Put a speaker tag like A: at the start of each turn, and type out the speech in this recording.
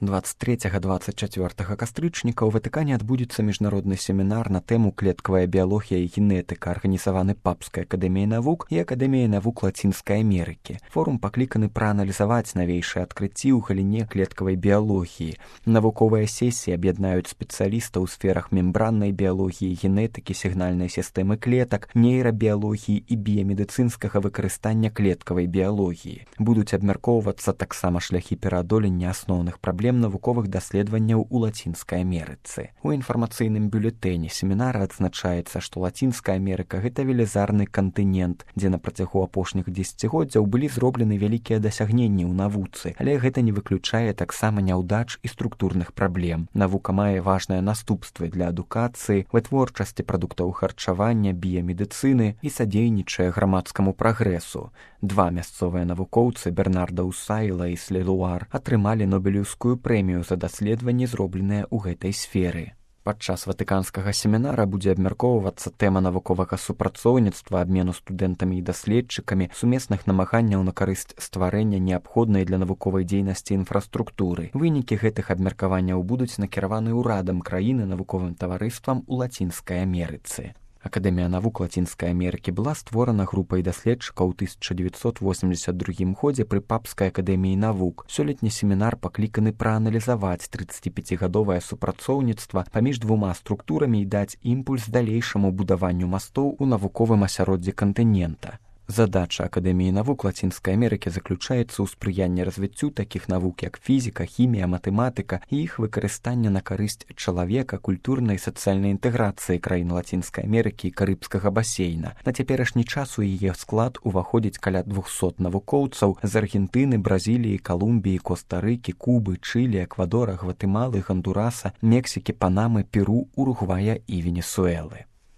A: 23-24 кастрычніка ў Ватыкане адбудзецца міжнародны семінар на тэму клеткавая біялогія і генетыка, арганізаваны Папскай акадэміяй навук і акадэміяй навук Лацінскай Амерыкі. Форум пакліканы прааналізаваць навейшыя адкрыцці ў галіне клеткавай біялогіі. Навуковыя сесіі аб'яднаюць спецыялістаў у сферах мембраннай біялогіі, генетыкі, сігнальнай сістэмы клетак, нейрабіялогіі і біямедыцынскага выкарыстання клеткавай біялогіі. Будуць абмяркоўвацца таксама шляхі пераадолення асноўных праблем навуковых даследаванняў у Лацінскай Амерыцы. У інфармацыйным бюлетэні семінара адзначаецца, што Лацінская Амерыка – гэта велізарны кантынент, дзе на працягу апошніх дзесяцігоддзяў былі зроблены вялікія дасягненні ў навуцы, але гэта не выключае таксама няўдач і структурных праблем. Навука мае важныя наступствы для адукацыі, вытворчасці прадуктаў харчавання, біямедыцыны і садзейнічае грамадскаму прагрэсу. Два мясцовыя навукоўцы, Бернарда Усайла і Слелуар, атрымалі Нобелеўскую прэмію за даследаванні, зробленыя ў гэтай сферы. Падчас ватыканскага семінара будзе абмяркоўвацца тэма навуковага супрацоўніцтва, абмену студэнтамі і даследчыкамі, сумесных намаганняў на карысць стварэння неабходнай для навуковай дзейнасці інфраструктуры. Вынікі гэтых абмеркаванняў будуць накіраваны ўрадам краіны, навуковым таварыствам у Лацінскай Амерыцы. Акадэмія навук Лацінскай Амерыкі была створана групай даследчыкаў у 1982 годзе пры Папскай акадэміі навук. Сёлетні семінар пакліканы прааналізаваць 35-гадовае супрацоўніцтва паміж двума структурамі і даць імпульс далейшаму будаванню мастоў у навуковым асяроддзі кантынента. Задача Акадэміі навук Лацінскай Амерыкі заключаецца ў спрыянні развіццю такіх навук, як фізіка, хімія, матэматыка і іх выкарыстання на карысць чалавека, культурнай і сацыяльнай інтэграцыі краін Лацінскай Амерыкі і Карыбскага басейна. На цяперашні час у яе склад уваходзіць каля 200 навукоўцаў з Аргентыны, Бразіліі, Калумбіі, Коста-Рыкі, Кубы, Чылі, Эквадора, Гватэмалы, Гондураса, Мексікі, Панамы, Перу, Уругвая і Венесуэлы.